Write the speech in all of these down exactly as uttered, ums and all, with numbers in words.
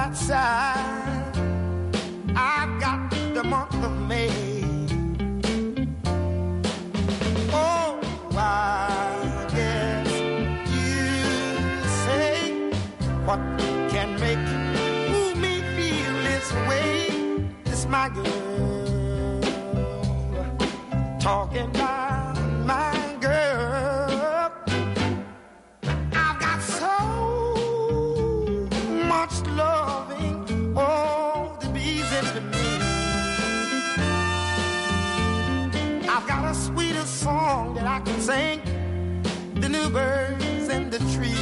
outside. I've got the month of May. Oh, I guess you say what can make move me feel this way. It's my girl talking about my girl. I've got so much loving, oh, the bees into me. I've got a sweeter song that I can sing than the birds in the trees.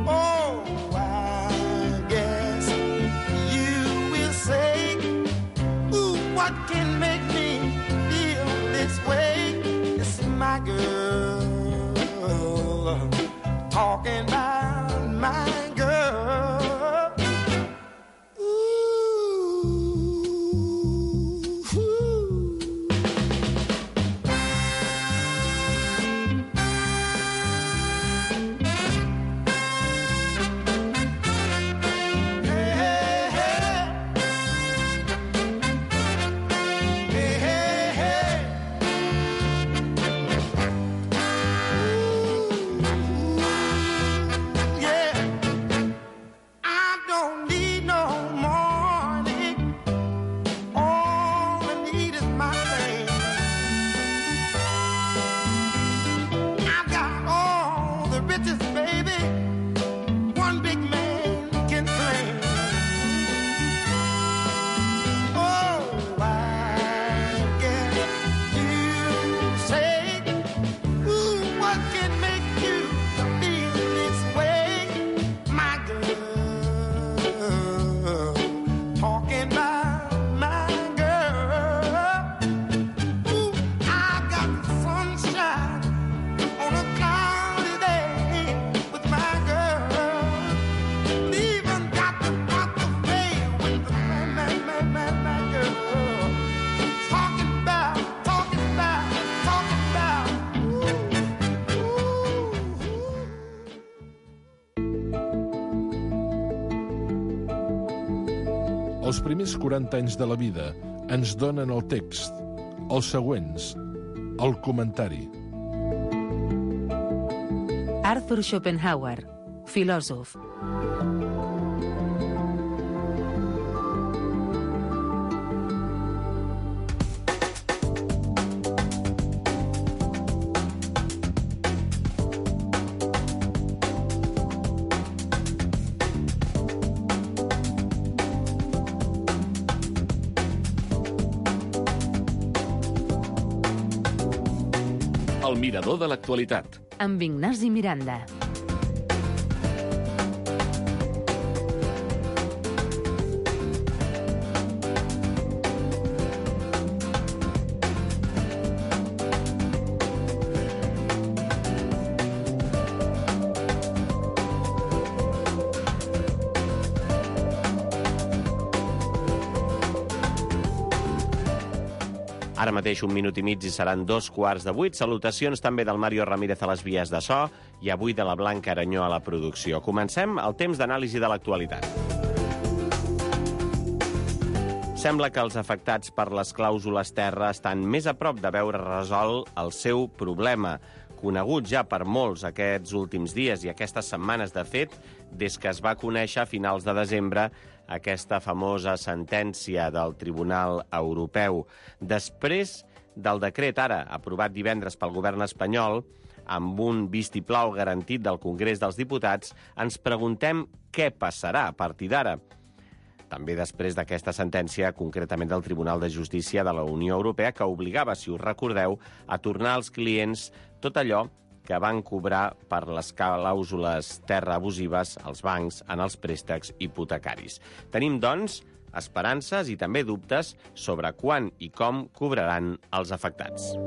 Oh, I guess you will say, ooh, what can make me feel this way? It's my girl talking about my girl. Ooh, ooh. Hey, hey, hey. Hey, hey, hey. Yeah, I don't need no money. All I need is my man. I've got all the riches, baby, one big man can claim. Oh, I guess you say, ooh, what can make you feel this way? My girl talking about my girl. Ooh, I got the sunshine on a cloudy day with my girl. Even got the month of May with the my, my, my, my, my girl. Talking about, talking about, talking about. Ooh, ooh, ooh. Els primers quaranta anys de la vida ens donen el text, els següents, el comentari. Arthur Schopenhauer, filòsof. El mirador de l'actualitat. Amb Ignasi Miranda. Ara mateix un minut i mig i seran dos quarts de vuit. Salutacions també del Mario Ramírez a les vies de so i avui de la Blanca Aranyó a la producció. Comencem el temps d'anàlisi de l'actualitat. Sembla que els afectats per les clàusules terra estan més a prop de veure resolt el seu problema, conegut ja per molts aquests últims dies i aquestes setmanes, de fet, des que es va conèixer a finals de desembre aquesta famosa sentència del Tribunal Europeu. Després del decret ara aprovat divendres pel govern espanyol, amb un vistiplau garantit del Congrés dels Diputats, ens preguntem què passarà a partir d'ara. També després d'aquesta sentència, concretament del Tribunal de Justícia de la Unió Europea, que obligava, si us recordeu, a tornar als clients tot allò que van cobrar per les clàusules terra abusives als bancs en els préstecs hipotecaris. Tenim, doncs, esperances i també dubtes sobre quan i com cobraran els afectats.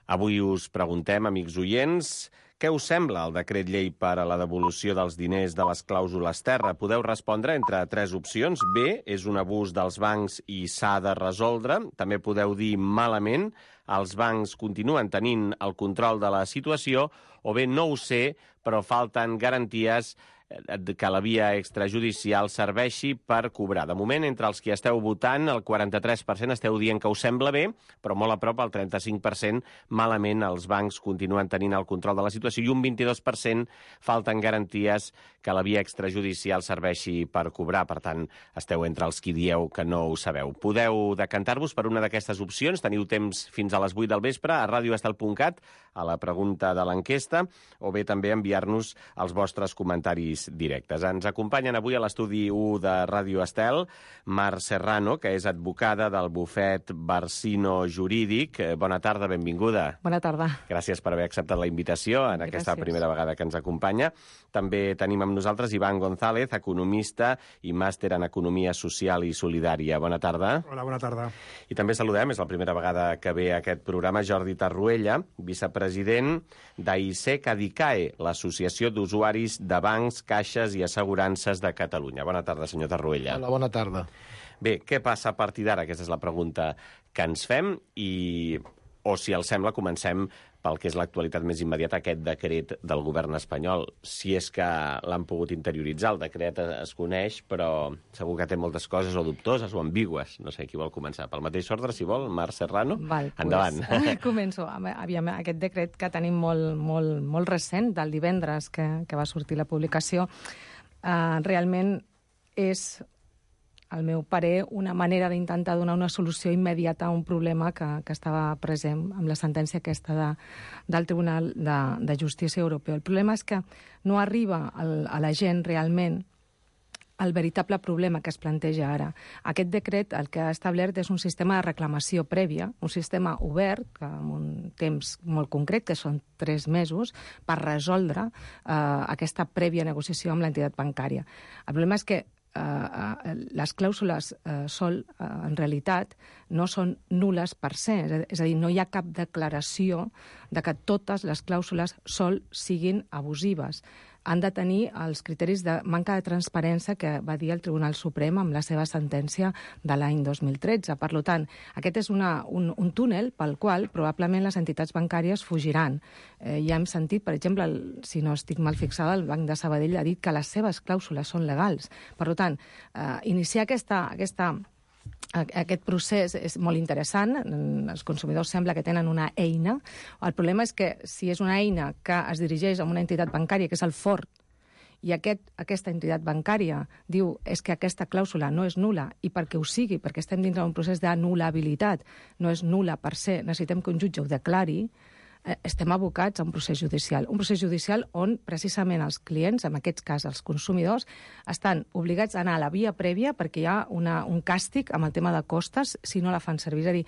Avui us preguntem, amics oients, Què us sembla el decret llei per a la devolució dels diners de les clàusules terra? Podeu respondre entre tres opcions. B, és un abús dels bancs i s'ha de resoldre. També podeu dir malament, els bancs continuen tenint el control de la situació, o bé no ho sé, però falten garanties que la via extrajudicial serveixi per cobrar. De moment, entre els que esteu votant, el quaranta-tres per cent esteu dient que us sembla bé, però molt a prop, el trenta-cinc per cent, malament, els bancs continuen tenint el control de la situació i un vint-i-dos per cent falten garanties que la via extrajudicial serveixi per cobrar. Per tant, esteu entre els qui dieu que no ho sabeu. Podeu decantar-vos per una d'aquestes opcions. Teniu temps fins a les vuit del vespre a radioestel punt cat, a la pregunta de l'enquesta, o bé també enviar-nos els vostres comentaris directes. Ens acompanyen avui a l'estudi u de Ràdio Estel Mar Serrano, que és advocada del bufet Barsino Jurídic. Bona tarda, benvinguda. Bona tarda. Gràcies per haver acceptat la invitació en aquesta Gràcies. primera vegada que ens acompanya. També tenim amb nosaltres Iván González, economista i màster en Economia Social i Solidària. Bona tarda. Hola, bona tarda. I també saludem, és la primera vegada que ve a aquest programa, Jordi Tarruella, vicepresident d'AISEC Adicae, l'Associació d'Usuaris de Bancs, Caixes i Assegurances de Catalunya. Bona tarda, senyor Tarruella. Hola, bona tarda. Bé, què passa a partir d'ara? Aquesta és la pregunta que ens fem i, o si els sembla, comencem pel que és l'actualitat més immediata, aquest decret del govern espanyol. Si és que l'han pogut interioritzar, el decret es coneix, però segur que té moltes coses o dubtoses o ambigües. No sé qui vol començar. Pel mateix ordre, si vol, Mar Serrano. Val, endavant. Pues, començo. Aviam, aquest decret que tenim molt, molt, molt recent, del divendres que, que va sortir la publicació, eh, realment és, al meu parer, una manera d'intentar donar una solució immediata a un problema que, que estava present amb la sentència aquesta de, del Tribunal de, de Justícia Europeu. El problema és que no arriba al, a la gent realment el veritable problema que es planteja ara. Aquest decret el que ha establert és un sistema de reclamació prèvia, un sistema obert, que amb un temps molt concret, que són tres mesos, per resoldre eh, aquesta prèvia negociació amb l'entitat bancària. El problema és que Uh, les clàusules uh, sol, uh, en realitat, no són nules per se. És a dir, no hi ha cap declaració de que totes les clàusules sol siguin abusives. Han de tenir els criteris de manca de transparència que va dir el Tribunal Suprem amb la seva sentència de l'any dos mil tretze. Per tant, aquest és una, un, un túnel pel qual probablement les entitats bancàries fugiran. Eh, ja hem sentit, per exemple, el, si no estic mal fixada, el Banc de Sabadell ha dit que les seves clàusules són legals. Per tant, eh, iniciar aquesta... aquesta Aquest procés és molt interessant. Els consumidors sembla que tenen una eina. El problema és que si és una eina que es dirigeix a una entitat bancària, que és el fort, i aquest, aquesta entitat bancària diu és que aquesta clàusula no és nula, i perquè ho sigui, perquè estem dintre d'un procés d'anul·labilitat, no és nula per se, necessitem que un jutge ho declari, estem abocats a un procés judicial. Un procés judicial on, precisament, els clients, en aquest cas els consumidors, estan obligats a anar a la via prèvia perquè hi ha una, un càstig amb el tema de costes si no la fan servir. És a dir,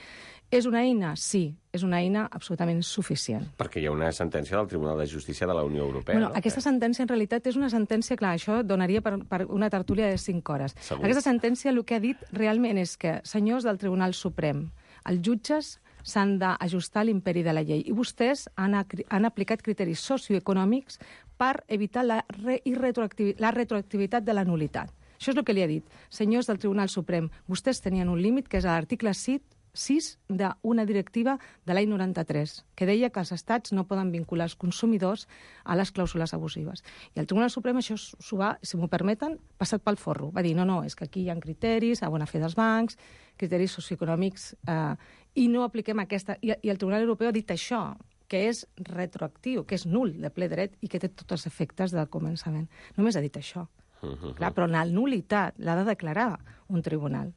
és una eina? Sí, és una eina absolutament suficient. Perquè hi ha una sentència del Tribunal de Justícia de la Unió Europea. Bueno, no? Aquesta sentència, en realitat, és una sentència, clar, això donaria per, per una tertúlia de cinc hores. Segur. Aquesta sentència el que ha dit realment és que, senyors del Tribunal Suprem, els jutges s'han d'ajustar a l'imperi de la llei. I vostès han, han aplicat criteris socioeconòmics per evitar la, re, retroactivi, la retroactivitat de la nulitat. Això és el que li ha dit. Senyors del Tribunal Suprem, vostès tenien un límit que és l'article sis d'una directiva de l'any noranta-tres, que deia que els estats no poden vincular els consumidors a les clàusules abusives. I el Tribunal Suprem això s'ho va, si m'ho permeten, passat pel forro. Va dir, no, no, és que aquí hi ha criteris a bona fe dels bancs, criteris socioeconòmics, eh, i no apliquem aquesta... I, I el Tribunal Europeu ha dit això, que és retroactiu, que és nul de ple dret i que té tots els efectes del començament. Només ha dit això. Uh -huh. Clar, però la nulitat l'ha de declarar un tribunal.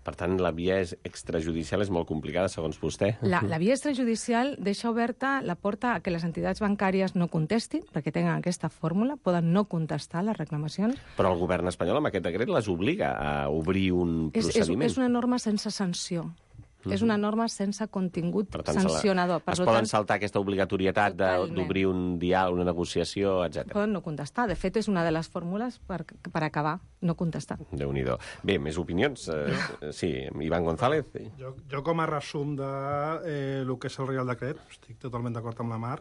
Per tant, la via extrajudicial és molt complicada, segons vostè. La, la via extrajudicial deixa oberta la porta a que les entitats bancàries no contestin, perquè tenen aquesta fórmula, poden no contestar les reclamacions. Però el govern espanyol, amb aquest decret, les obliga a obrir un és, procediment. És, és una norma sense sanció. Uh-huh. És una norma sense contingut per tant, sancionador. Per es poden tant, saltar aquesta obligatorietat d'obrir un diàleg, una negociació, etcètera. Poden no contestar. De fet, és una de les fórmules per, per acabar, no contestar. Déu-n'hi-do. Bé, més opinions? Eh, sí, Iván González. Jo, jo com a resum de eh, el que és el Reial Decret, estic totalment d'acord amb la Mar,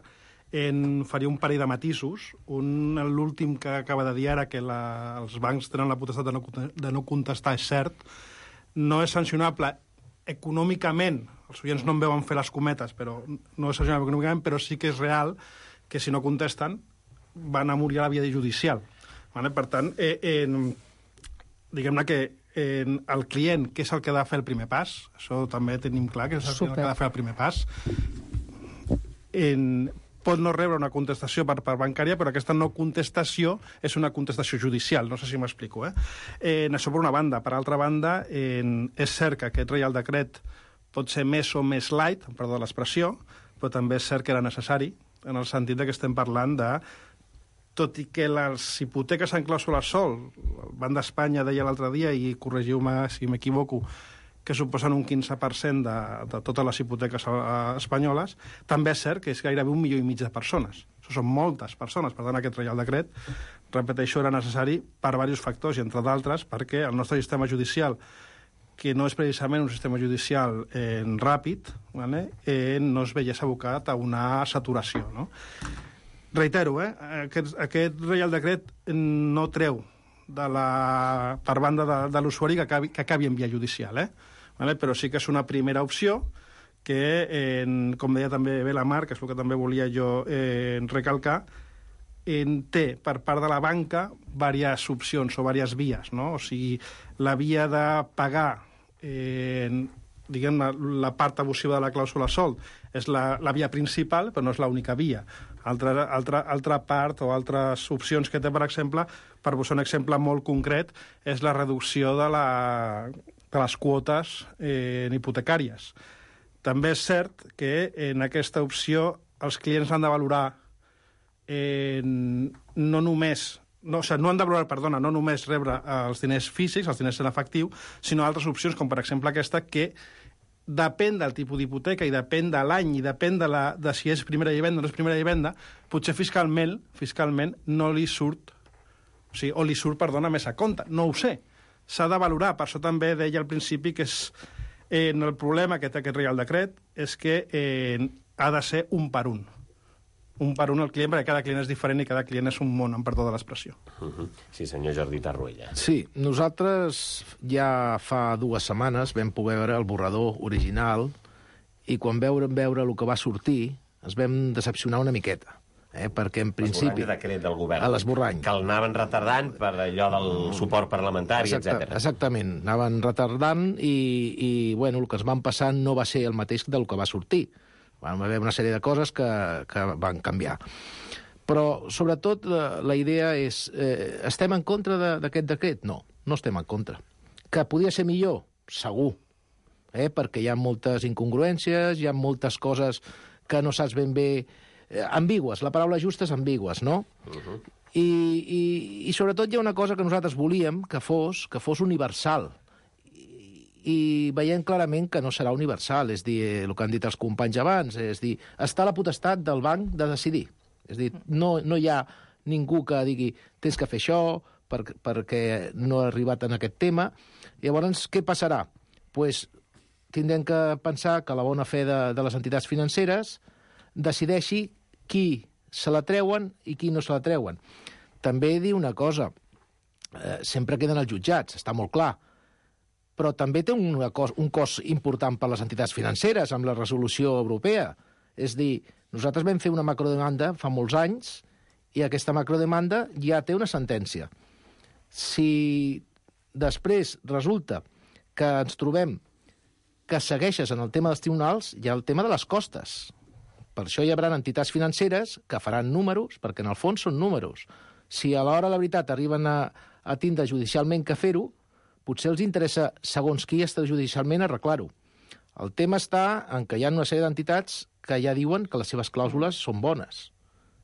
en faria un parell de matisos. Un, l'últim que acaba de dir ara, que la, els bancs tenen la potestat de no, de no contestar, és cert. No és sancionable econòmicament, els oients no em veuen fer les cometes, però no és sancionable econòmicament, però sí que és real que si no contesten van a morir a la via judicial. Vale? Per tant, eh, eh, diguem-ne que eh, el client, que és el que ha de fer el primer pas, això també tenim clar, que és el Super. que ha de fer el primer pas, en, pot no rebre una contestació per part bancària, però aquesta no contestació és una contestació judicial, no sé si m'explico. Eh? Eh, això per una banda. Per altra banda, eh, és cert que aquest Reial Decret pot ser més o més light, perdó l'expressió, però també és cert que era necessari, en el sentit de que estem parlant de, tot i que les hipoteques en clàusula sol, el Banc d'Espanya deia l'altre dia, i corregiu-me si m'equivoco, que suposen un quinze per cent de, de totes les hipoteques espanyoles, també és cert que és gairebé un milió i mig de persones. Això són moltes persones. Per tant, aquest Reial Decret, repeteixo, era necessari per diversos factors, i entre d'altres perquè el nostre sistema judicial, que no és precisament un sistema judicial eh, ràpid, vale? eh, no es veiés abocat a una saturació. No? Reitero, eh, aquest, aquest Reial Decret no treu de la, per banda de, de l'usuari que acabi, que acabi en via judicial, eh? Vale? Però sí que és una primera opció que, eh, com deia també bé la Mar, que és el que també volia jo eh, recalcar, en té per part de la banca diverses opcions o diverses vies, no? O sigui, la via de pagar eh, diguem, la, la part abusiva de la clàusula sold és la, la via principal, però no és l'única via. Altra, altra, altra part o altres opcions que té, per exemple, per posar un exemple molt concret, és la reducció de, la, de les quotes eh, hipotecàries. També és cert que en aquesta opció els clients han de valorar eh, no només... No, o sigui, no han de valorar, perdona, no només rebre els diners físics, els diners en efectiu, sinó altres opcions, com per exemple aquesta, que depèn del tipus d'hipoteca i depèn de l'any i depèn de, la, de si és primera vivenda o no és primera vivenda, potser fiscalment fiscalment no li surt, o sigui, o li surt, perdona, més a compte. No ho sé. S'ha de valorar. Per això també deia al principi que és, eh, el problema que té aquest Reial Decret és que eh, ha de ser un per un. Un per un el client, perquè cada client és diferent i cada client és un món, amb perdó de l'expressió. Uh-huh. Sí, senyor Jordi Tarruella. Sí, nosaltres ja fa dues setmanes vam poder veure el borrador original i quan veurem veure el que va sortir ens vam decepcionar una miqueta. Eh? Perquè en principi... L'esborrany de decret del govern. A l'esborrany. Que el anaven retardant per allò del suport parlamentari, Exacte, etcètera. Exactament, anaven retardant i, i bueno, el que ens van passar no va ser el mateix del que va sortir. Va haver una sèrie de coses que, que van canviar. Però, sobretot, la, la idea és... Eh, estem en contra d'aquest decret? No, no estem en contra. Que podia ser millor? Segur. Eh? Perquè hi ha moltes incongruències, hi ha moltes coses que no saps ben bé... Eh, ambigües, la paraula justa és ambigües, no? Uh-huh. I, i, I, sobretot, hi ha una cosa que nosaltres volíem que fos, que fos universal. I veiem clarament que no serà universal, és dir, el que han dit els companys abans, és dir, està la potestat del banc de decidir. És dir, no, no hi ha ningú que digui tens que fer això per, perquè no ha arribat en aquest tema. Llavors, què passarà? Pues, tindrem que pensar que la bona fe de, de les entitats financeres decideixi qui se la treuen i qui no se la treuen. També dir una cosa, eh, sempre queden els jutjats, està molt clar, però també té un cost, un cost important per les entitats financeres amb la resolució europea. És dir, nosaltres vam fer una macrodemanda fa molts anys i aquesta macrodemanda ja té una sentència. Si després resulta que ens trobem que segueixes en el tema dels tribunals, hi ha el tema de les costes. Per això hi haurà entitats financeres que faran números, perquè en el fons són números. Si a l'hora de la veritat arriben a, a tindre judicialment que fer-ho, potser els interessa, segons qui està judicialment, arreglar-ho. El tema està en què hi ha una sèrie d'entitats que ja diuen que les seves clàusules són bones.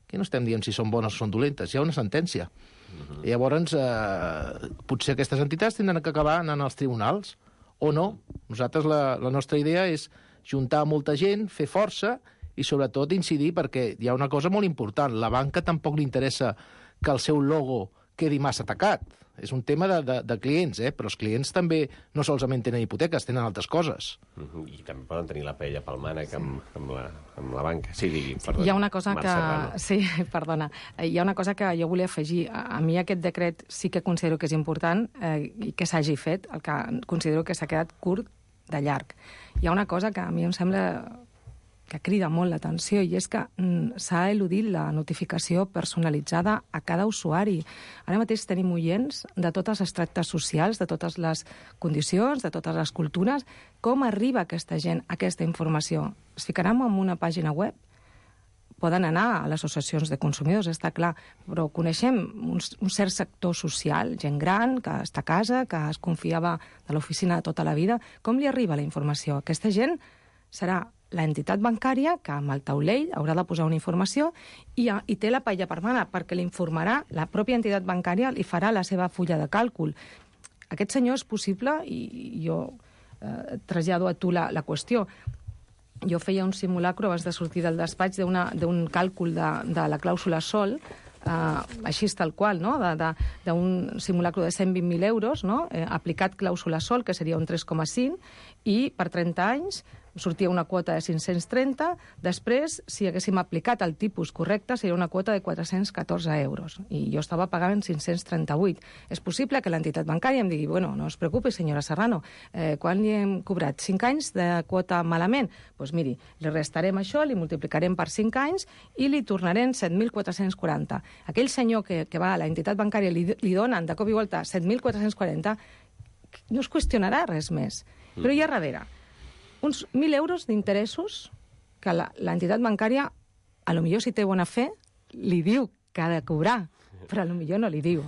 Aquí no estem dient si són bones o són dolentes, hi ha una sentència. Uh-huh. I llavors, eh, potser aquestes entitats tindran que acabar anant als tribunals, o no. Nosaltres la, la nostra idea és juntar molta gent, fer força i sobretot incidir perquè hi ha una cosa molt important. La banca tampoc li interessa que el seu logo quedi massa tacat. És un tema de, de, de clients, eh? Però els clients també no solament tenen hipoteques, tenen altres coses. Mm-hmm. I també poden tenir la paella pel mànec amb, amb, la, amb la banca. Sí, digui, perdona. Hi ha una cosa Marc que... Serrano. Sí, perdona. Hi ha una cosa que jo volia afegir. A, a mi aquest decret sí que considero que és important eh, i que s'hagi fet, el que considero que s'ha quedat curt de llarg. Hi ha una cosa que a mi em sembla que crida molt l'atenció, i és que mm, s'ha eludit la notificació personalitzada a cada usuari. Ara mateix tenim oients de totes les tractes socials, de totes les condicions, de totes les cultures. Com arriba aquesta gent a aquesta informació? Es ficaran en una pàgina web? Poden anar a les associacions de consumidors, està clar, però coneixem un, un cert sector social, gent gran, que està a casa, que es confiava de l'oficina de tota la vida. Com li arriba la informació? Aquesta gent serà l'entitat bancària que amb el taulell haurà de posar una informació i, i té la paella per mà, perquè l'informarà, la pròpia entitat bancària li farà la seva fulla de càlcul. Aquest senyor és possible, i jo eh, trasllado a tu la, la qüestió. Jo feia un simulacro abans de sortir del despatx d'un càlcul de, de la clàusula sol, eh, així tal qual, no? d'un simulacro de cent vint mil euros, no? eh, aplicat clàusula sol, que seria un tres coma cinc, i per trenta anys sortia una quota de cinc-cents trenta, després, si haguéssim aplicat el tipus correcte, seria una quota de quatre-cents catorze euros, i jo estava pagant cinc-cents trenta-vuit. És possible que l'entitat bancària em digui, bueno, no es preocupi, senyora Serrano, eh, quan li hem cobrat? cinc anys de quota malament? Doncs pues miri, li restarem això, li multiplicarem per cinc anys i li tornarem set mil quatre-cents quaranta. Aquell senyor que, que va a l'entitat bancària li, li donen de cop i volta set mil quatre-cents quaranta, no es qüestionarà res més. Però hi ha darrere uns mil euros d'interessos que l'entitat bancària, a lo millor si té bona fe, li diu que ha de cobrar, però a lo millor no li diu.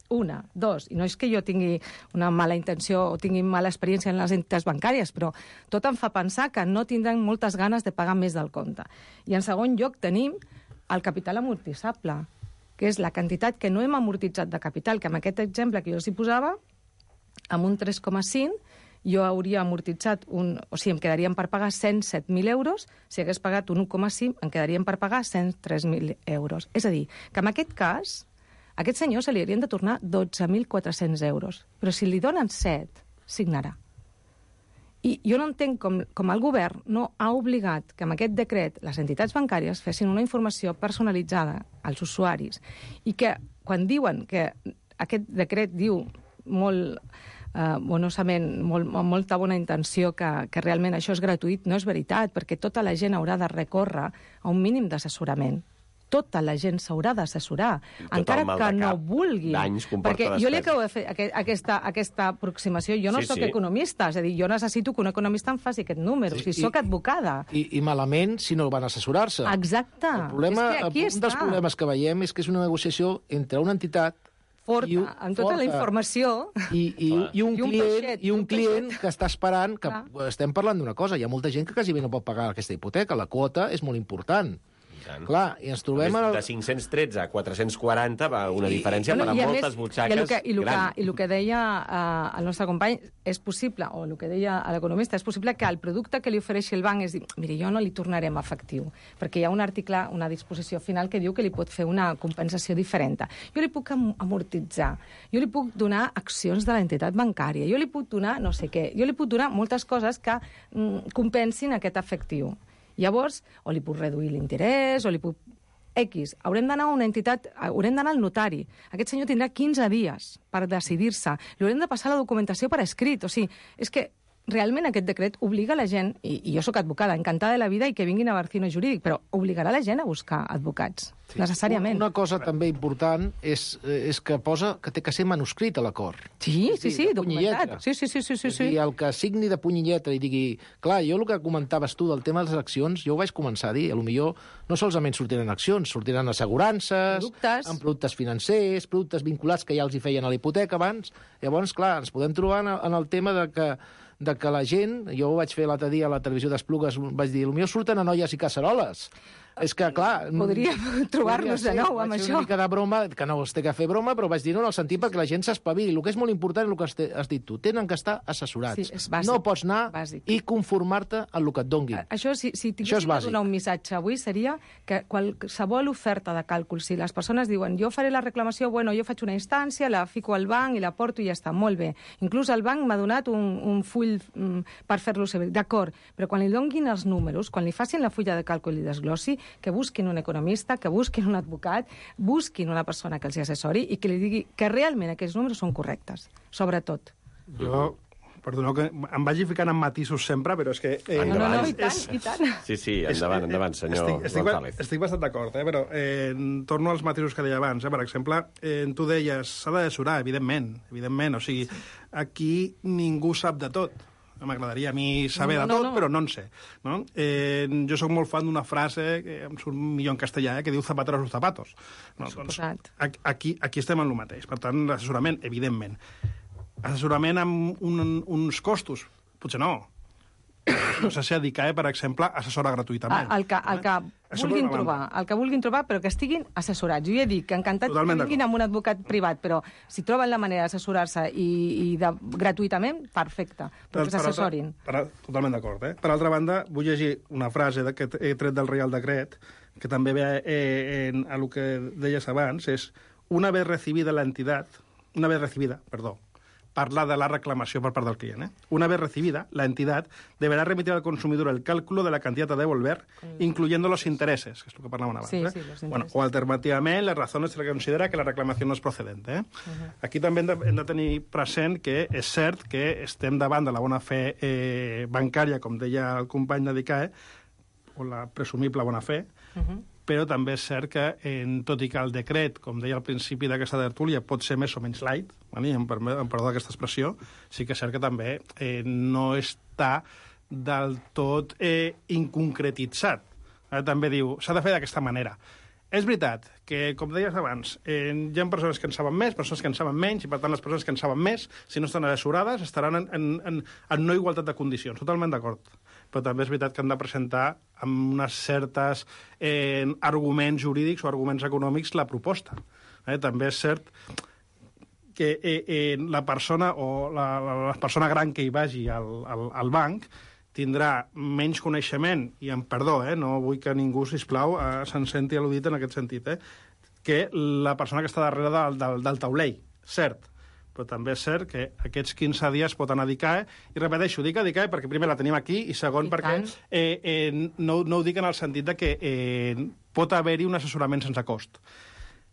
Una, dos, i no és que jo tingui una mala intenció o tingui mala experiència en les entitats bancàries, però tot em fa pensar que no tindran moltes ganes de pagar més del compte. I en segon lloc tenim el capital amortitzable, que és la quantitat que no hem amortitzat de capital, que amb aquest exemple que jo els hi posava, amb un tres coma cinc, jo hauria amortitzat, un, o sigui, em quedarien per pagar cent set mil euros, si hagués pagat un un coma cinc, em quedarien per pagar cent tres mil euros. És a dir, que en aquest cas, a aquest senyor se li haurien de tornar dotze mil quatre-cents euros, però si li donen set, signarà. I jo no entenc com, com el govern no ha obligat que amb aquest decret les entitats bancàries fessin una informació personalitzada als usuaris i que quan diuen que aquest decret diu molt... Uh, bonosament, molt, amb molta bona intenció que, que realment això és gratuït, no és veritat, perquè tota la gent haurà de recórrer a un mínim d'assessorament. Tota la gent s'haurà d'assessorar, encara que no vulgui. Perquè jo li acabo de fer aquesta, aquesta aproximació. Jo no sí, soc sí. economista, és a dir, jo necessito que un economista em faci aquest número, sí, si soc advocada. I, I malament si no van assessorar-se. Exacte. El problema, és que aquí un està. dels problemes que veiem és que és una negociació entre una entitat Forta, I, amb tota forta. la informació. I, i, i un, I un client, peixet, i un, un client que està esperant, que Clar. estem parlant d'una cosa, hi ha molta gent que quasi bé no pot pagar aquesta hipoteca, la quota és molt important. Clar, i ens trobem... El... De cinc-cents tretze a quatre-cents quaranta va una I, diferència bueno, per a moltes més, butxaques i el que, i el gran. Que, I el que deia uh, el nostre company, és possible, o el que deia l'economista, és possible que el producte que li ofereixi el banc és dir, miri, jo no li tornarem efectiu, perquè hi ha un article, una disposició final que diu que li pot fer una compensació diferent. Jo li puc amortitzar, jo li puc donar accions de l'entitat bancària, jo li puc donar no sé què, jo li puc donar moltes coses que mm, compensin aquest efectiu. Llavors, o li puc reduir l'interès, o li puc... X. Haurem d'anar a una entitat, haurem d'anar al notari. Aquest senyor tindrà quinze dies per decidir-se. Li haurem de passar la documentació per escrit. O sigui, és que realment aquest decret obliga la gent, i, i jo sóc advocada, encantada de la vida i que vinguin a Barcino Jurídic, però obligarà la gent a buscar advocats, sí. necessàriament. Una cosa també important és, és que posa que té que ser manuscrit a l'acord. Sí, sí, sí, documentat. Sí, sí, sí, sí, sí, sí. I el que signi de puny i lletra i digui... Clar, jo el que comentaves tu del tema de les accions, jo ho vaig començar a dir, potser no solament sortiran accions, sortiran assegurances, productes. amb productes financers, productes vinculats que ja els hi feien a la hipoteca abans. Llavors, clar, ens podem trobar en el, en el tema de que de que la gent, jo ho vaig fer l'altre dia a la televisió d'Esplugues, vaig dir, potser surten a noies i casseroles. És que, clar... Podríem trobar-nos de nou amb vaig fer això. una mica de broma, que no es té que fer broma, però vaig dir-ho en el sentit perquè la gent s'espavili. El que és molt important és el que has, te, has dit tu. Tenen que estar assessorats. Sí, és bàsic. No pots anar Bàsic. i conformar-te amb el que et donguin. Això, si, si Això és tinguéssim de bàsic. donar un missatge avui, seria que qualsevol oferta de càlcul, si les persones diuen jo faré la reclamació, bueno, jo faig una instància, la fico al banc i la porto i ja està, molt bé. Inclús el banc m'ha donat un, un full mm, per fer-lo servir. D'acord, però quan li donguin els números, quan li facin la fulla de càlcul i desglossi, que busquin un economista, que busquin un advocat, busquin una persona que els hi assessori i que li digui que realment aquests números són correctes, sobretot. Jo, perdoneu que em vagi ficant en matisos sempre, però és que... Eh, No, no, no, i És- tant, i tant. Sí, sí, endavant, endavant, senyor estic, estic, ba- González. estic bastant d'acord, eh? Però eh, torno als matisos que deia abans. Eh? Per exemple, eh, tu deies, s'ha d'assessorar, evidentment, evidentment. O sigui, aquí ningú sap de tot. M'agradaria a mi saber No, de no, tot, no. però no en sé. No? Eh, jo sóc molt fan d'una frase, que em surt millor en castellà, eh? que diu zapatero a sus zapatos. No? Doncs, Suposat. ac- aquí, aquí estem en el mateix. Per tant, l'assessorament, evidentment. Assessorament amb un, uns costos? Potser no. No sé si a DICAE, per exemple, assessora gratuïtament. El que, el que Això vulguin per una trobar, banda. el que vulguin trobar, però que estiguin assessorats. Jo ja dic que encantat que Totalment vinguin amb un advocat privat, però si troben la manera d'assessorar-se i, i de, gratuïtament, perfecte, però que Per- per s'assessorin. altra- per- Totalment d'acord. Eh? Per altra banda, vull llegir una frase de- que he tret del Reial Decret, que també ve eh, en, a el que deies abans, és una vez recibida la entidad, una vez recibida, perdó, parla de la reclamació per part del client. Eh? Una vez recibida, la entidad deberá remitir al consumidor el cálculo de la cantidad a devolver, incluyendo los intereses, que és el que parlàvem abans. Sí, eh? sí, los bueno, intereses. o alternativament, les razones se le considera que la reclamació no és procedente. Eh? Uh-huh. Aquí també hem de, hem de tenir present que és cert que estem davant de la bona fe eh, bancària, com deia el company de DICAE, o la presumible bona fe, Uh-huh. però també és cert que, en, tot i que el decret, com deia al principi d'aquesta tertúlia, pot ser més o menys light, vale? em, perme- em perdó d'aquesta expressió, sí que és cert que també eh, no està del tot eh, inconcretitzat. Eh, també diu, s'ha de fer d'aquesta manera. És veritat que, com deies abans, eh, hi ha persones que en saben més, persones que en saben menys, i per tant les persones que en saben més, si no estan assessorades, estaran en, en, en, en no igualtat de condicions. Totalment d'acord. Però també és veritat que han de presentar amb unes certes eh, arguments jurídics o arguments econòmics la proposta. Eh, també és cert que eh, eh, la persona o la, la, la persona gran que hi vagi al, al, al banc tindrà menys coneixement, i amb perdó, eh, no vull que ningú, sisplau, eh, se'n senti al·ludit en aquest sentit, eh, que la persona que està darrere del, del, del taulell, cert, però també és cert que aquests quinze dies pot anar a DICAE, i repeteixo, dic a DICAE perquè primer la tenim aquí, i segon I perquè tant. eh, eh, no, no ho dic en el sentit de que eh, pot haver-hi un assessorament sense cost.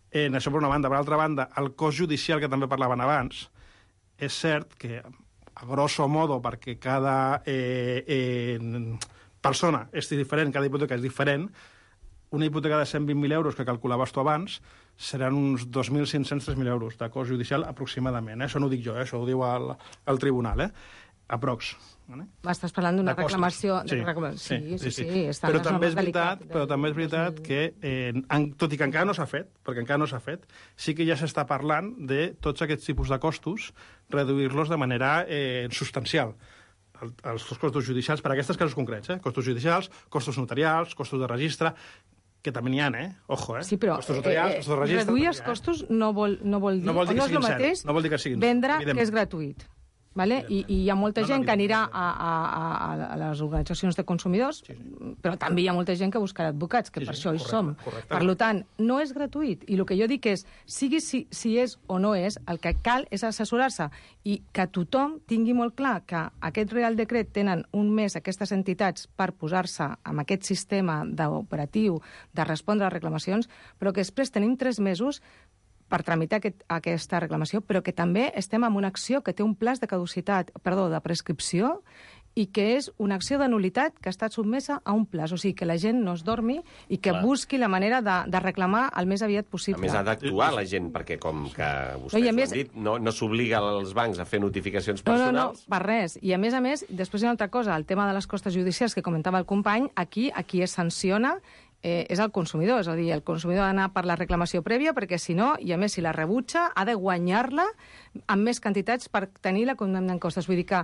Eh, això per una banda. Per altra banda, el cost judicial que també parlaven abans, és cert que, a grosso modo, perquè cada eh, eh, persona és diferent, cada hipoteca és diferent, una hipoteca de cent vint mil euros que calculaves tu abans seran uns dos mil cinc-cents a tres mil euros de cost judicial aproximadament. Eh? Això no ho dic jo, eh? Això ho diu el, el tribunal. Eh? Aprox. Vale? Estàs parlant d'una De costos. reclamació... Sí, de reclamació. Sí, sí, sí. sí, està però, en les també és normes veritat, delicat- però també és veritat que, eh, en, tot i que encara no s'ha fet, perquè encara no s'ha fet, sí que ja s'està parlant de tots aquests tipus de costos, reduir-los de manera eh, substancial. El, els costos judicials, per a aquests casos concrets, eh? Costos judicials, costos notarials, costos de registre, que també n'hi ha, eh? Ojo, eh? Sí, però costos notarials, eh, costos de registre... reduir també els n'hi ha, eh? costos no vol, no vol dir, No vol dir o que no és el siguin zero, mateix no vol dir que siguin zero, vendre evidentment. que és gratuït. Vale? I, I hi ha molta No, no, gent que anirà evidentment. a, a, a, a les organitzacions de consumidors, sí, sí. però també hi ha molta gent que buscarà advocats, que Sí, per sí, això hi correcte, som. correcte. Per tant, no és gratuït. I el que jo dic és, sigui si, si és o no és, el que cal és assessorar-se i que tothom tingui molt clar que aquest Real Decret tenen un mes aquestes entitats per posar-se amb aquest sistema d'operatiu de respondre a reclamacions, però que després tenim tres mesos per tramitar aquest, aquesta reclamació, però que també estem en una acció que té un plaç de caducitat, perdó, de prescripció, i que és una acció de nulitat que ha estat sotmesa a un plaç. O sigui, que la gent no es dormi i que Clar. busqui la manera de, de reclamar el més aviat A possible. més, ha d'actuar la gent, perquè com que vostès No, i a ho més- han dit, no, no s'obliga als bancs a fer notificacions No, no, personals. no, per res. I a més a més, després hi ha una altra cosa, el tema de les costes judicials que comentava el company, aquí, aquí es sanciona eh, és el consumidor, és a dir, el consumidor ha d'anar per la reclamació prèvia, perquè si no, i a més si la rebutja, ha de guanyar-la amb més quantitats per tenir la condemna en costes. Vull dir que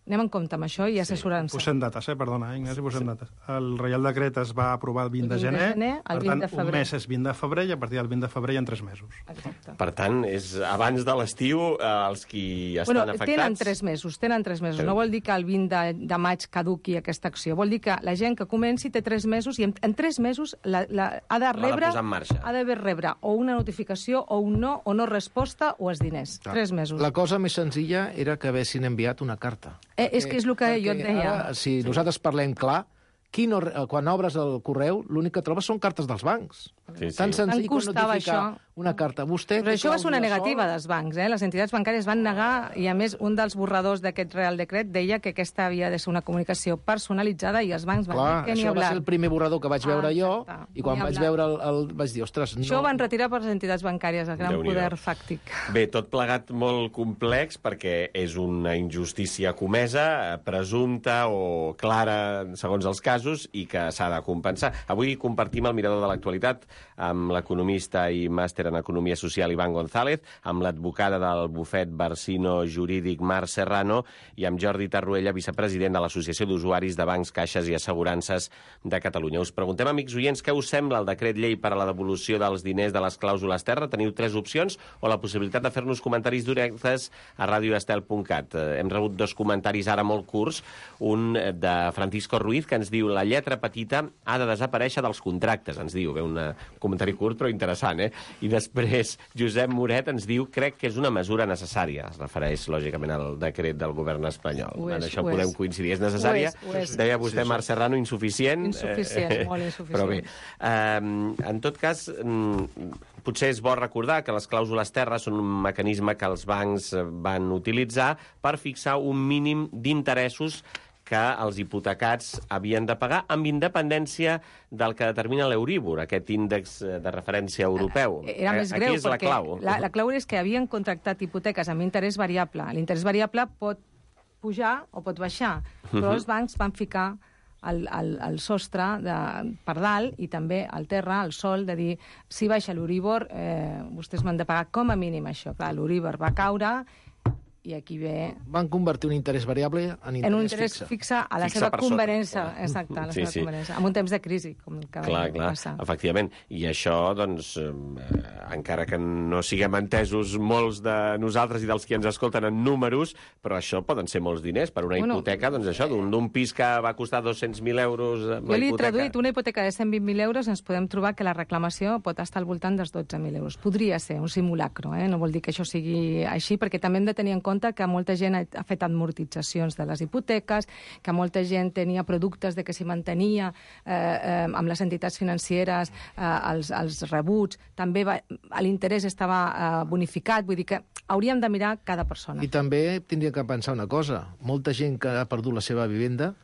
anem en compte amb això i assessorant-se. Posem dates, eh? Perdona, Ignasi, posem dates. El Reial Decret es va aprovar el vint de gener, el per tant, un mes és vint de febrer i a partir del vint de febrer hi ha tres mesos. Exacte. Per tant, és abans de l'estiu eh, els qui estan bueno, afectats... Tenen tres mesos, tenen tres mesos. No vol dir que el vint de, de maig caduqui aquesta acció. Vol dir que la gent que comenci té tres mesos i en, en tres mesos la, la, ha de rebre... L'ha de posar en marxa. Ha d'haver rebre o una notificació o un no, o no resposta o els diners. Clar. Tres mesos. La cosa més senzilla era que haguessin enviat una carta. Eh, és que és el que jo et deia. Ara, si sí. nosaltres parlem clar, qui no, quan obres el correu, l'únic que trobes són cartes dels bancs. Sí, sí. Tan senzill com costava notificar això. una carta. Vostè Però això va ser una negativa sol... dels bancs, eh? Les entitats bancàries van negar, i a més un dels borradors d'aquest Real Decret deia que aquesta havia de ser una comunicació personalitzada i els bancs van Clar, dir que ni això hablar. va ser el primer borrador que vaig veure Ah, jo, exacte. i quan Ni vaig hablar. veure el, el... vaig dir, ostres, no... Això ho van retirar per les entitats bancàries, el gran Déu-n'hi-do. poder fàctic. Bé, tot plegat molt complex perquè és una injustícia comesa, eh, presumpta o clara segons els casos i que s'ha de compensar. Avui compartim el mirador de l'actualitat amb l'economista i màster en Economia Social Iván González, amb l'advocada del bufet Barsino Jurídic Mar Serrano i amb Jordi Tarruella, vicepresident de l'Associació d'Usuaris de Bancs, Caixes i Assegurances de Catalunya. Us preguntem, amics oients, què us sembla el decret llei per a la devolució dels diners de les clàusules terra? Teniu tres opcions o la possibilitat de fer-nos comentaris directes a radio estel punt cat. Hem rebut dos comentaris ara molt curts, un de Francisco Ruiz, que ens diu la lletra petita ha de desaparèixer dels contractes, ens diu. Bé, un comentari curt però interessant, eh? I després Josep Moret ens diu crec que és una mesura necessària. Es refereix, lògicament, al decret del govern espanyol. Ho és, en això ho podem és. coincidir. És necessària? Ho és, ho és. Deia vostè, Marc Serrano, insuficient. Insuficient, molt insuficient. Però bé, eh, en tot cas, potser és bo recordar que les clàusules terra són un mecanisme que els bancs van utilitzar per fixar un mínim d'interessos que els hipotecats havien de pagar amb independència del que determina l'Euríbor, aquest índex de referència europeu. Era més greu, Aquí és la perquè clau. La, la clau és que havien contractat hipoteques amb interès variable. L'interès variable pot pujar o pot baixar, però els bancs van ficar el, el, el sostre de, per dalt i també al terra, al sol, de dir si baixa l'Euríbor, eh, vostès m'han de pagar com a mínim això. Clar, l'Euríbor va caure i aquí ve... Van convertir un interès variable en interès, en un interès fixe. fixe a la Fixe seva per sota. conveniència. Exacte, a la Sí, seva sí. conveniència. En un temps de crisi, com el que Clar, va clar, passar. efectivament. I això, doncs, eh, encara que no siguem entesos molts de nosaltres i dels qui ens escolten en números, però això poden ser molts diners per una Bueno, hipoteca, doncs això, d'un d'un pis que va costar dos-cents mil euros amb Jo la li he hipoteca. traduït una hipoteca de cent vint mil euros, ens podem trobar que la reclamació pot estar al voltant dels dotze mil euros. Podria ser un simulacro, eh? No vol dir que això sigui així, perquè també hem de tenir en compte que molta gent ha, ha fet amortitzacions de les hipoteques, que molta gent tenia productes de que s'hi mantenia eh, eh, amb les entitats financeres eh, els, els rebuts, també va, l'interès estava eh, bonificat, vull dir que hauríem de mirar cada persona. I també tindria que pensar una cosa. Molta gent que ha perdut la seva vivenda,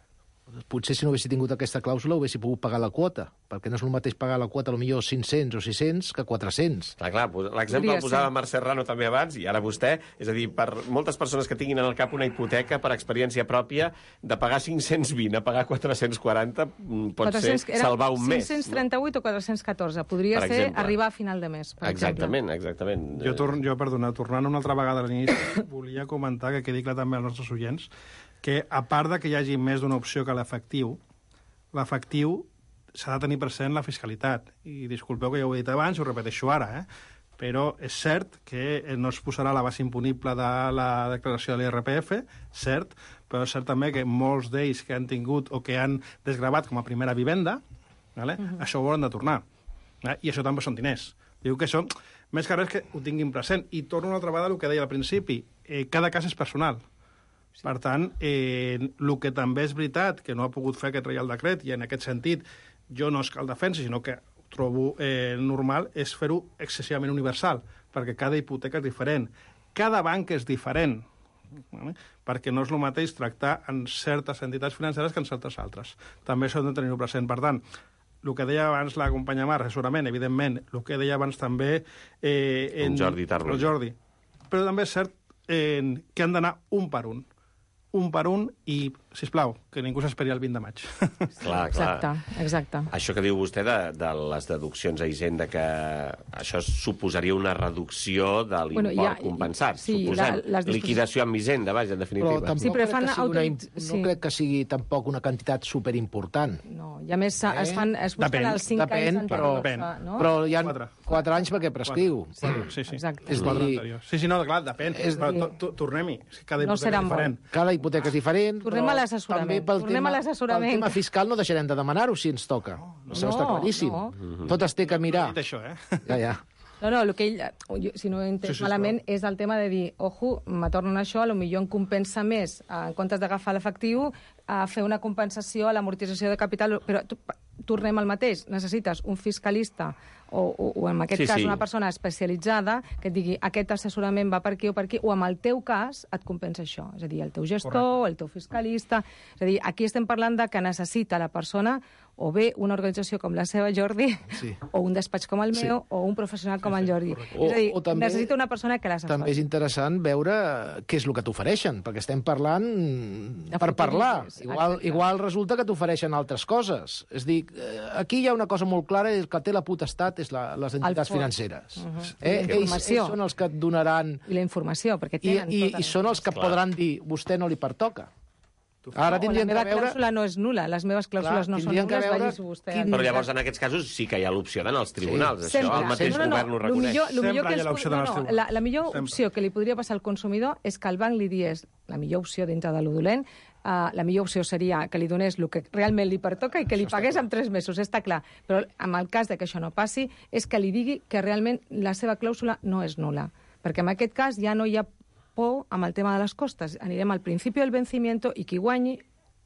potser si no haguessi tingut aquesta clàusula ho haguessi pogut pagar la quota, perquè no és el mateix pagar la quota potser cinc-cents o sis-cents que quatre-cents. Clar, clar, l'exemple Podria el posava ser. Marc Serrano també abans, i ara vostè, és a dir, per moltes persones que tinguin en el cap una hipoteca per experiència pròpia, de pagar cinc-cents vint a pagar quatre-cents quaranta pot quatre-cents ser salvar un mes. cinc-cents trenta-vuit o quatre-cents catorze. Podria Per ser exemple. arribar a final de mes, per Exactament, exactament. Jo, torn, jo perdona, tornant una altra vegada a l'inici, volia comentar, que quedi clar també als nostres oients, que a part de que hi hagi més d'una opció que l'efectiu, l'efectiu s'ha de tenir present la fiscalitat. I disculpeu que ja ho he dit abans, ho repeteixo ara, eh? Però és cert que no es posarà la base imponible de la declaració de l'I R P F, cert, però és cert també que molts d'ells que han tingut o que han desgravat com a primera vivenda, vale? Uh-huh. Això ho hauran de tornar. Eh? I això també són diners. Diu que això, més que res que ho tinguin present. I torno una altra vegada al que deia al principi. Eh, cada cas és personal. Sí. Per tant, eh, el que també és veritat, que no ha pogut fer aquest Reial Decret, i en aquest sentit jo no és que el defensi, sinó que ho trobo eh, normal, és fer-ho excessivament universal, perquè cada hipoteca és diferent. Cada banc és diferent, vale? Perquè no és el mateix tractar en certes entitats financeres que en certes altres. També això hem de tenir-ho present. Per tant, el que deia abans la companya Mar, assessorament, evidentment, el que deia abans també... Eh, en, en Jordi Tarruella. Jordi. Però també és cert eh, que han d'anar un per un. Un per un, i sisplau, que ningú s'esperi el vint de maig. Clar, clar. Exacte, exacte. Això que diu vostè de, de les deduccions a Hisenda, que això suposaria una reducció de l'import Bueno, ja- compensat, sí, suposem. la- les disposicions- Liquidació amb Hisenda, vaja, en Però definitiva. tampoc Sí, però crec fan que sigui una, im- autoritz- no sí. crec que sigui tampoc una quantitat superimportant. No, i a més Eh? es fan es busquen Depèn, els cinc depèn, anys però- anteriors, Depèn. no? Però hi ha Quatre. quatre anys perquè prescriu. Sí, sí, sí. Exacte. És És quatre dir- anteriors. Sí, sí, no, clar, depèn. És Però dir- to- to- tornem-hi. Cada No hipoteca serà és diferent. Cada hipoteca és diferent, Tornem però a l'assessorament. també pel Tornem tema, a l'assessorament. pel tema fiscal no deixarem de demanar-ho si ens toca. Això està claríssim. no. Tot es té que mirar. Dit això, eh? Ja, ja. No, no, el que ell, jo, si no ho he entès Sí, sí, malament, és el tema de dir, ojo, me tornen això, potser em compensa més, eh, en comptes d'agafar l'efectiu, a fer una compensació a l'amortització de capital, però tu, tornem al mateix, necessites un fiscalista o, o, o en aquest Sí, cas sí. una persona especialitzada que et digui aquest assessorament va per aquí o per aquí, o en el teu cas et compensa això, és a dir, el teu gestor, Correcte. el teu fiscalista, és a dir, aquí estem parlant de que necessita la persona o bé una organització com la seva, Jordi, Sí. o un despatx com el meu, o un professional com el Jordi. O- És a dir, o també- necessita una persona que l'assessori. També és interessant veure què és el que t'ofereixen, perquè estem parlant De per futur, parlar. sí, Igual, exacte. igual resulta que t'ofereixen altres coses. És a dir, eh, aquí hi ha una cosa molt clara, és que té la potestat és la, les entitats fons. financeres. Uh -huh. eh? I la ells, informació. ells són els que et donaran... I la informació, perquè I, tenen i, tota i són els que Clar. podran dir, vostè no li pertoca. Ara la tindrien meva que veure... clàusula no és nula, les meves clàusules Clar, no són tindrien que nules, veure vagis vostè. quin- Però llavors, en aquests casos, sí que hi ha l'opció d'anar als tribunals. Sí. Això Sempre. el mateix no, no, no. govern ho Lo reconeix. millor, lo Sempre millor que hi ha ens, l'opció no, d'anar als no, tribunals. la, la millor Sempre. opció que li podria passar al consumidor és que el banc li digués, la millor opció dintre de lo dolent, uh, la millor opció seria que li donés el que realment li pertoca i que li pagués en tres mesos, està clar. Però en el cas de que això no passi, és que li digui que realment la seva clàusula no és nula. Perquè en aquest cas ja no hi ha por amb el tema de les costes. Anirem al principi del vencimiento i qui guanyi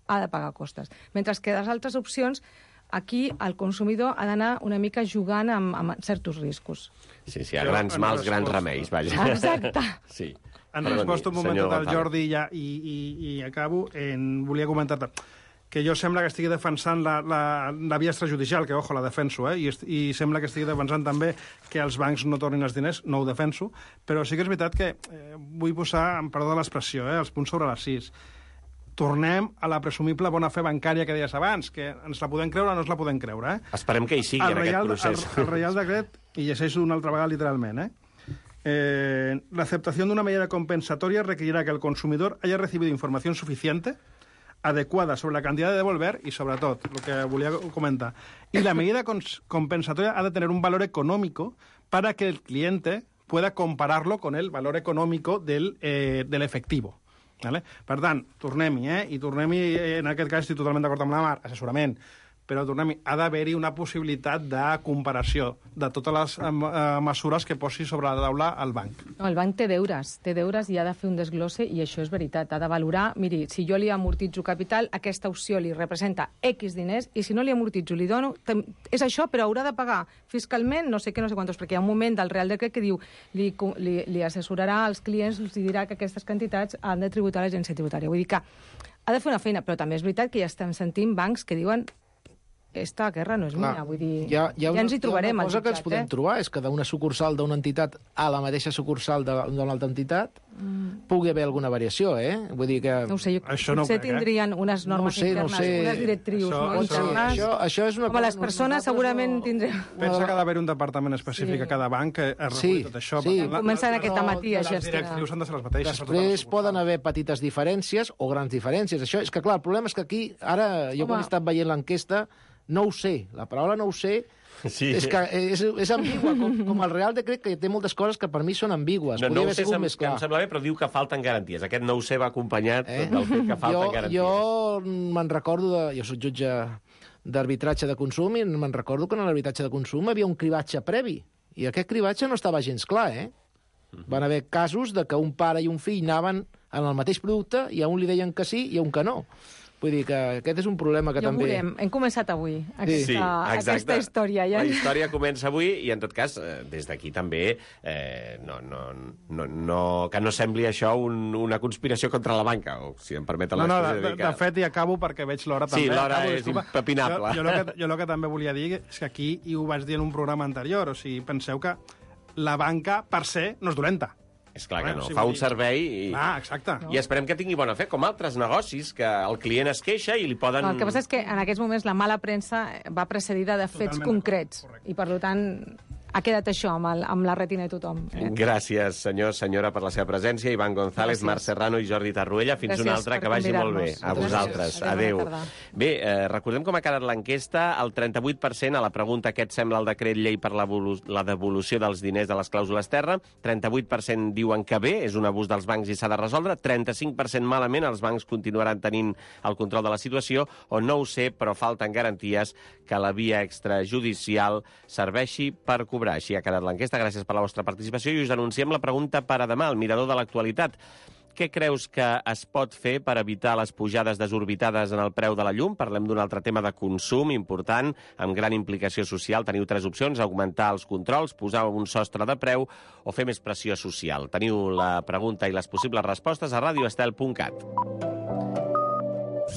ha de pagar costes. Mentre que les altres opcions, aquí el consumidor ha d'anar una mica jugant amb, amb certs riscos. Sí, sí, a Jo, grans en mals, grans resposta- remeis, vaja. Exacte. Sí. En Perdoni, resposta un moment senyor del González. Jordi ja, i, i, i acabo, en, volia comentar-te que jo sembla que estigui defensant la, la, la via extrajudicial, que, ojo, la defenso, eh? I, est- i sembla que estigui defensant també que els bancs no tornin els diners, no ho defenso, però sí que és veritat que eh, vull posar, amb perdó de l'expressió, eh, els punts sobre les sis. Tornem a la presumible bona fe bancària que deies abans, que ens la podem creure o no ens la podem creure, eh? Esperem que hi sigui el en aquest Reial, procés. El, el Reial Decret, i llegeixo una altra vegada literalment, ¿eh? Eh, la aceptación de una medida compensatoria requerirá que el consumidor haya recibido información suficiente, adecuada sobre la cantidad de devolver y, sobre todo, lo que volia comentar. Y la medida cons- compensatoria ha de tener un valor económico para que el cliente pueda compararlo con el valor económico del, eh, del efectivo. Vale? Per tant, tornem-hi, eh? I tornem-hi, eh, en aquest cas estic totalment d'acord amb la Mar, assessorament, però tornem-hi, ha d'haver-hi una possibilitat de comparació de totes les eh, mesures que posi sobre la taula el banc. No, el banc té deures, té deures i ha de fer un desglosse, i això és veritat. Ha de valorar, miri, si jo li amortitzo capital, aquesta opció li representa X diners, i si no li amortitzo, li dono... tem- És això, però haurà de pagar fiscalment no sé què, no sé quantos, perquè hi ha un moment del Real Decret que diu li, co- li, li assessorarà als clients, els dirà que aquestes quantitats han de tributar a l'agència tributària. Vull dir que ha de fer una feina, però també és veritat que ja estem sentint bancs que diuen esta guerra no és Clar, mia, vull dir, hi ha, hi ha ja ens hi trobarem. Hi ha una cosa al que ens jutjat, podem eh? trobar, és que d'una sucursal d'una entitat a la mateixa sucursal de- d'una altra entitat mm. pugui haver alguna variació, eh? Vull dir que... No ho sé, jo, Això no ho potser crec, eh? tindrien unes No ho normes sé, no ho internes, sé. unes directrius Això- no, això- internes. Això, això és una Com a les cosa- persones nosaltres segurament no- tindrem... Pensa que ha d'haver un departament específic Sí. a cada banc que es reguli Sí, tot això. sí. Per tant, la- Començant la- aquest la- matí a les gestionar. directrius han de ser les mateixes. per totes les Després sucursals. poden haver petites diferències o grans diferències. Això és que, clar, el problema és que aquí, ara, jo Home. quan he estat veient l'enquesta, no ho sé. La paraula no ho sé Sí. és que és, és ambigua, com, com el Real Decret, que té moltes coses que per mi són ambigües. No, Podria no ho haver sé, sigut sem més clar. em sembla bé, però diu que falten garanties. Aquest no ho sé va acompanyat Eh? del fet que falten jo, garanties. jo me'n recordo, de, jo soc jutge d'arbitratge de consum, i me'n recordo que en l'arbitratge de consum hi havia un cribatge previ, i aquest cribatge no estava gens clar, eh? Van haver casos de que un pare i un fill anaven en el mateix producte i a un li deien que sí i a un que no. Vull dir que aquest és un problema que Ja ho també... veurem. Hem començat avui aquesta, Sí, exacte. aquesta història. Ja. La història comença avui i, en tot cas, eh, des d'aquí també, eh, no, no, no, no, que no sembli això un, una conspiració contra la banca, o si em permeten No, no, de, l'expressió. de, de fet, i acabo perquè veig l'hora Sí, també. l'hora Acabo, és disculpa. impepinable. Jo, jo, el que, jo el que també volia dir és que aquí, i ho vaig dir en un programa anterior, o sigui, penseu que la banca per se no és dolenta. És clar que Bueno, no. sí, Fa vull un dir- servei i... Ah, exacte. I esperem que tingui bona fe, com altres negocis, que el client es queixa i li poden... El que passa és que en aquests moments la mala premsa va precedida de fets Totalment concrets. I, per tant, ha quedat això amb, el, amb la retina de tothom. Eh? Gràcies, senyor, senyora, per la seva presència. Ivan González, Gràcies. Marc Serrano i Jordi Tarruella. Fins Gràcies una altra, per que vagi molt bé. convidar-nos. A Gràcies. vosaltres. Adéu, Adéu. bona tarda. Bé, eh, recordem com ha quedat l'enquesta. El trenta-vuit per cent a la pregunta què et sembla el decret llei per la volu- la devolució dels diners de les clàusules terra. trenta-vuit per cent diuen que bé, és un abús dels bancs i s'ha de resoldre. trenta-cinc per cent malament, els bancs continuaran tenint el control de la situació. O no ho sé, però falten garanties que la via extrajudicial serveixi per cobrar. Així ha quedat l'enquesta. Gràcies per la vostra participació i us anunciem la pregunta per a demà, el mirador de l'actualitat. Què creus que es pot fer per evitar les pujades desorbitades en el preu de la llum? Parlem d'un altre tema de consum important, amb gran implicació social. Teniu tres opcions: augmentar els controls, posar un sostre de preu o fer més pressió social. Teniu la pregunta i les possibles respostes a radioestel punt cat.